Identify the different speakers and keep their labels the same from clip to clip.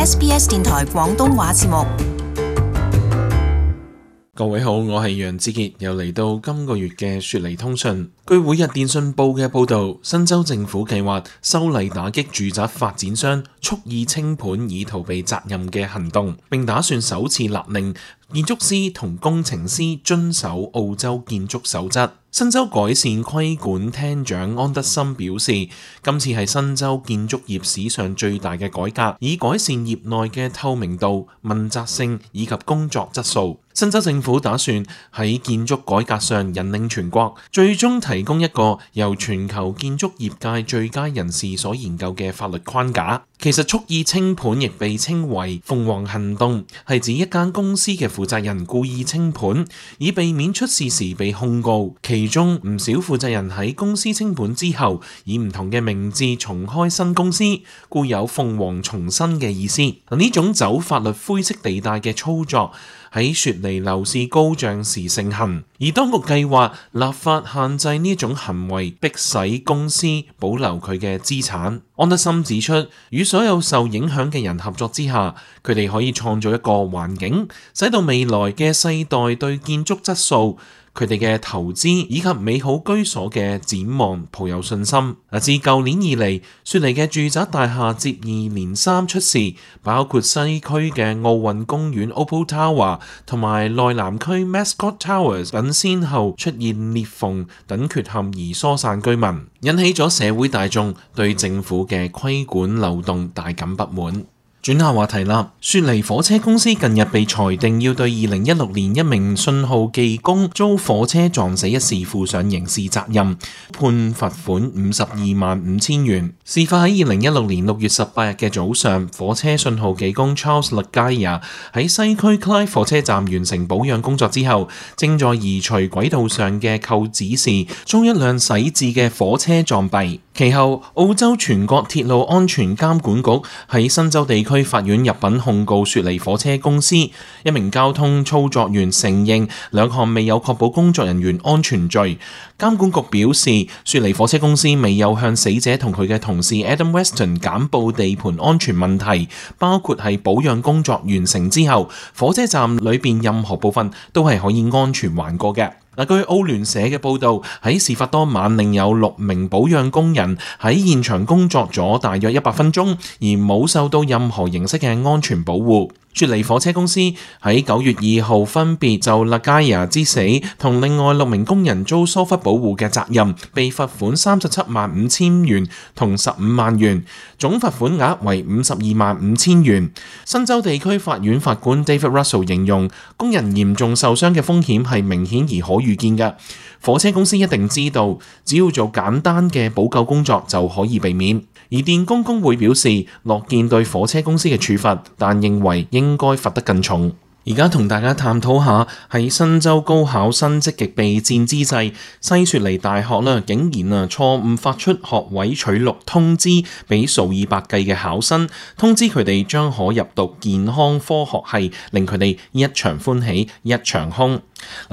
Speaker 1: SBS 電台廣東話節目。
Speaker 2: 各位好，我係楊志傑，又嚟到今個月嘅雪梨通訊。據每日電訊報嘅報導，新州政府計劃修例打擊住宅發展商蓄意清盤以逃避責任嘅行動，並打算首次勒令建築師同工程師遵守澳洲建築守則。新州改善規管廳長安德森表示，今次係新州建築業史上最大嘅改革，以改善業內嘅透明度、問責性以及工作質素。新州政府打算喺建築改革上引領全國，最終提供一個由全球建築業界最佳人士所研究嘅法律框架。其實蓄意清盤亦被稱為鳳凰行動，係指一間公司嘅負責人故意清盤，以避免出事時被控告。其中唔少負責人喺公司清盤之後，以唔同嘅名字重開新公司，故有鳳凰重生嘅意思。呢種走法律灰色地帶嘅操作喺雪梨樓市高漲時盛行，而當局計劃立法限制呢種行為，迫使公司保留佢嘅資產。安德森指出，與所有受影響嘅人合作之下，佢哋可以創造一個環境，使到未來嘅世代對建築質素、佢哋嘅投資以及美好居所嘅展望抱有信心。自舊年以嚟，雪梨嘅住宅大廈接二連三出事，包括西區嘅奧運公園 Opal Tower 同埋內南區 Mascot Towers 等，先後出現裂縫等缺陷而疏散居民，引起咗社會大眾對政府嘅規管漏洞大感不滿。轉下話題啦，雪梨火車公司近日被裁定要對2016年一名信號技工遭火車撞死一事負上刑事責任，判罰款525000元。事發喺2016年6月18日嘅早上，火車信號技工 Charles Lagaya 喺西區 Clyde 火車站完成保養工作之後，正在移除軌道上嘅扣子時，遭一輛駛至嘅火車撞斃。其後，澳洲全國鐵路安全監管局喺新州地區法院入稟控告雪梨火車公司，一名交通操作員承認兩項未有確保工作人員安全罪。監管局表示，雪梨火車公司未有向死者同佢嘅同事 Adam Weston 簡報地盤安全問題，包括係保養工作完成之後，火車站裏邊任何部分都係可以安全橫過嘅。據澳聯社嘅報導，喺事發當晚，另有6名保養工人喺現場工作咗大約100分鐘，而冇受到任何形式嘅安全保護。雪梨火車公司喺9月2號分別就Lagaya之死同另外6名工人遭疏忽保護嘅責任，被罰款375000元同15萬元，總罰款額為525000元。新州地區法院法官 David Russell 形容，工人嚴重受傷嘅風險係明顯而可預見嘅。火車公司一定知道，只要做簡單嘅補救工作就可以避免。而電工工會表示樂見對火車公司嘅處罰，但認為應該罰得更重。而家同大家探討下，喺新州高考生積極備戰之際，西雪梨大學竟然錯誤發出學位取錄通知俾數以百計嘅考生，通知佢哋將可入讀健康科學系，令佢哋一場歡喜一場空。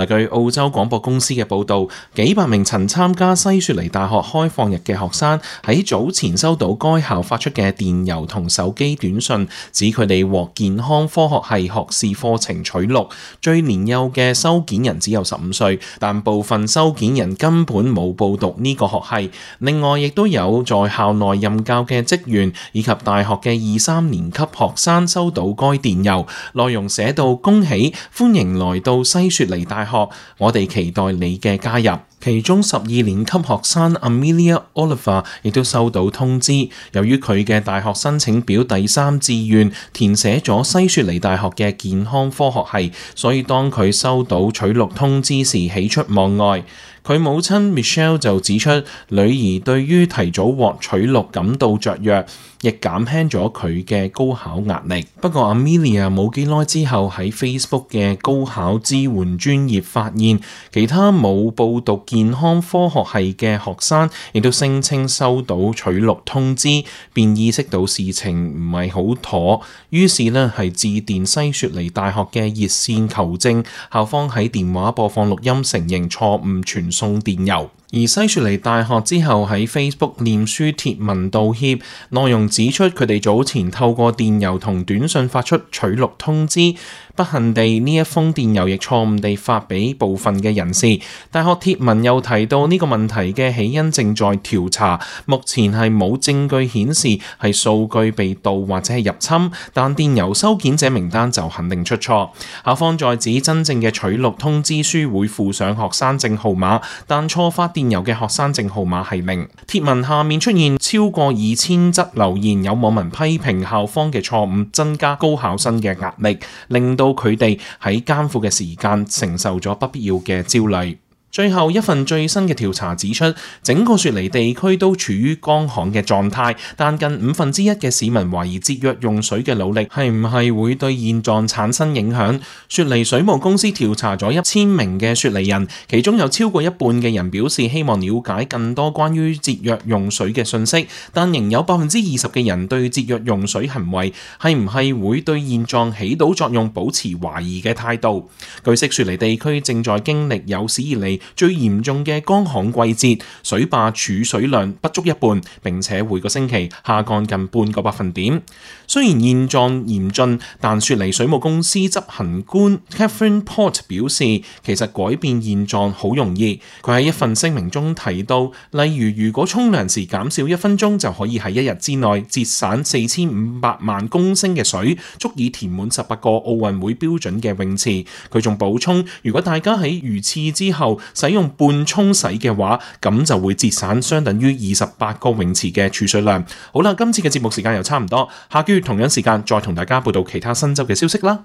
Speaker 2: 據澳洲廣播公司嘅報導，幾百名曾參加西雪梨大學開放日嘅學生喺早前收到該校發出嘅電郵同手機短信，指佢哋獲健康科學系學士課程取錄。最年幼嘅收件人只有15歲，但部分收件人根本冇報讀呢個學系。另外，亦都有在校內任教嘅職員以及大學嘅2、3年級學生收到該電郵，內容寫到：恭喜，歡迎來到西雪梨大學，我哋期待你嘅加入。其中12年級學生 Amelia Oliver 亦都收到通知，由於佢嘅大學申請表第3志願填寫咗西雪梨大學嘅健康科學系，所以當佢收到取錄通知時喜出望外。佢母親 Michelle 就指出，女兒對於提早獲取錄感到雀躍，亦減輕咗佢嘅高考壓力。不過 Amelia 冇幾耐之後喺 Facebook 嘅高考支援專頁發現，其他冇報讀健康科學系嘅學生亦都聲稱收到取錄通知，便意識到事情唔係好妥，於是係致電西雪梨大學嘅熱線求證，校方喺電話播放錄音承認錯誤傳送電郵。而西雪梨大學之後喺 Facebook 臉書貼文道歉，內容指出佢哋早前透過電郵同短信發出取錄通知，不幸地呢一封電郵亦錯誤地發俾部分嘅人士。大學貼文又提到呢個問題嘅起因正在調查，目前係冇證據顯示係數據被盜或者係入侵，但電郵收件者名單就肯定出錯。校方再指真正嘅取錄通知書會附上學生證號碼，但錯發電郵嘅學生證號碼係0。貼文下面出現超過2000則留言，有網民批評校方嘅錯誤增加高考生嘅壓力，令到佢哋喺艱苦嘅時間承受咗不必要嘅焦慮。最後一份最新嘅調查指出，整個雪梨地區都處於乾旱嘅狀態，但近1/5嘅市民懷疑節約用水嘅努力係唔係會對現狀產生影響。雪梨水務公司調查咗1000名嘅雪梨人，其中有超過一半嘅人表示希望了解更多關於節約用水嘅信息，但仍有20%嘅人對節約用水行為係唔係會對現狀起到作用保持懷疑嘅態度。據悉，雪梨地區正在經歷有史以嚟最嚴重嘅乾旱季節，水壩儲水量不足一半，並且每個星期下降近半個百分點。雖然現狀嚴峻，但雪梨水務公司執行官 Catherine Port 表示，其實改變現狀好容易。佢喺一份聲明中提到，例如果沖涼時減少1分鐘，就可以喺1日之內節省4500萬公升嘅水，足以填滿18個奧運會標準嘅泳池。佢仲補充，如果大家喺如廁之後使用半沖洗嘅話，咁就會節省相等於28個泳池嘅儲水量。好啦，今次嘅節目時間又差唔多，下個月同樣時間再同大家報道其他新州嘅消息啦。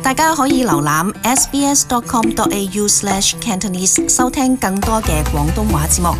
Speaker 1: 大家可以瀏覽 sbs.com.au/Cantonese 收聽更多嘅廣東話節目。